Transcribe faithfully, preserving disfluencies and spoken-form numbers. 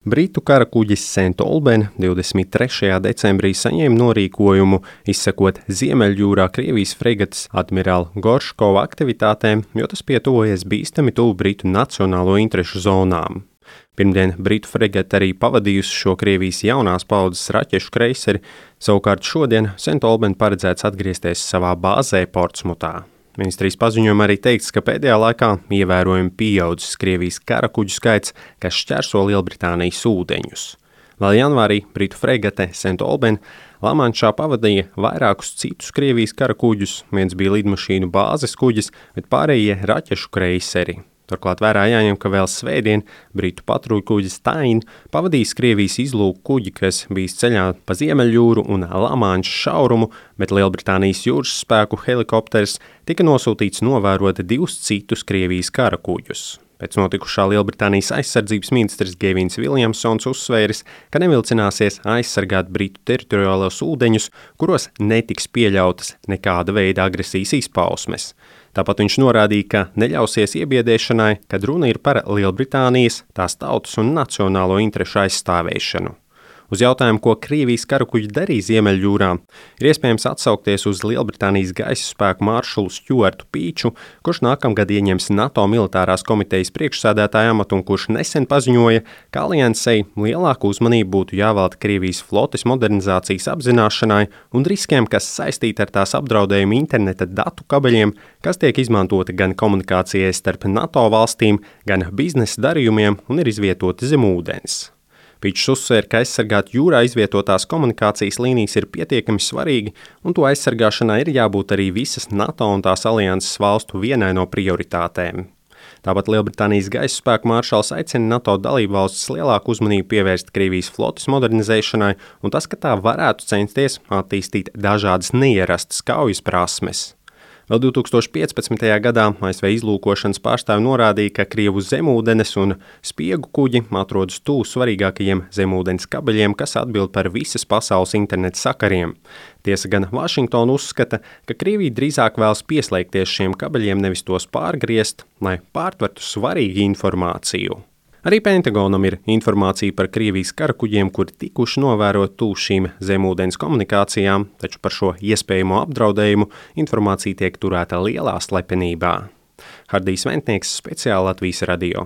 Britu karakuģis Saint Olben divdesmit trešajā decembrī saņēma norīkojumu izsekot Ziemeļjūrā Krievijas fregates admirāla Gorškova aktivitātēm, jo tas pietuvojies bīstami tuvu Britu nacionālo interešu zonām. Pirmdien Britu fregate arī pavadījusi šo Krievijas jaunās paudzes raķešu kreiseri, savukārt šodien Saint Olben paredzēts atgriezties savā bāzē Portsmutā. Ministrijas paziņojumā arī teikts, ka pēdējā laikā ievērojami pieaudzis Krievijas karakuģu skaits, kas šķērso Lielbritānijas ūdeņus. Vēl janvārī Britu fregate Saint Olben Lamanšā pavadīja vairākus citus Krievijas karakuģus, viens bija lidmašīnu bāzes kuģis, bet pārējie raķešu kreiseri. Turklāt vērā jāņem, ka vēl svētdien Britu patruļkuģis Tyne pavadījis Krievijas izlūku kuģi, kas bijis ceļā pa Ziemeļjūru un Lamanšas šaurumu, bet Lielbritānijas jūras spēku helikopters tika nosūtīts novērot divus citus Krievijas karakuģus. Pēc notikušā Lielbritānijas aizsardzības ministrs Gevins Viljamsons uzsvēris, ka nevilcināsies aizsargāt Britu teritoriālos ūdeņus, kuros netiks pieļautas nekāda veida agresijas izpausmes. Tāpat viņš norādīja, ka neļausies iebiedēšanai, kad runa ir par Lielbritānijas, tās tautas un nacionālo interešu aizstāvēšanu. Uz jautājumu, ko Krievijas karakuģi darīja Ziemeļjūrā, ir iespējams atsaukties uz Lielbritānijas gaisa spēku maršalu Stuartu Pīču, kurš nākamgad ieņems NATO militārās komitejas priekšsēdētāja amatu un kurš nesen paziņoja, ka aliansei lielāku uzmanību būtu jāvelta Krievijas flotes modernizācijas apzināšanai un riskiem, kas saistīti ar tās apdraudējumu interneta datu kabeļiem, kas tiek izmantoti gan komunikācijai starp NATO valstīm, gan biznesa darījumiem un ir izvietoti zem ūdens. Pīčs uzsvēra, ka aizsargāt jūrā izvietotās komunikācijas līnijas ir pietiekami svarīgi, un to aizsargāšanai ir jābūt arī visas NATO un tās alianses valstu vienai no prioritātēm. Tāpat Lielbritānijas gaisa spēku maršals aicina NATO dalībvalstis lielāku uzmanību pievērst Krievijas flotes modernizēšanai, un tas, ka tā varētu censties attīstīt dažādas neierastas kaujas prasmes. Vēl divi tūkstoši piecpadsmitajā gadā A S V izlūkošanas pārstāvi norādīja, ka Krievu zemūdenes un spiegu kuģi atrodas tuvu svarīgākajiem zemūdens kabeļiem, kas atbild par visas pasaules interneta sakariem. Tiesa gan Vašingtona uzskata, ka Krievija drīzāk vēlas pieslēgties šiem kabeļiem, nevis tos pārgriezt, lai pārtvertu svarīgu informāciju. Arī Pentagonam ir informācija par Krievijas karakuģiem, kuri tikuši novērot tuvu šīm zemūdens komunikācijām, taču par šo iespējamo apdraudējumu informācija tiek turēta lielā slepenībā. Hardijs Ventnieks, speciāli Latvijas radio.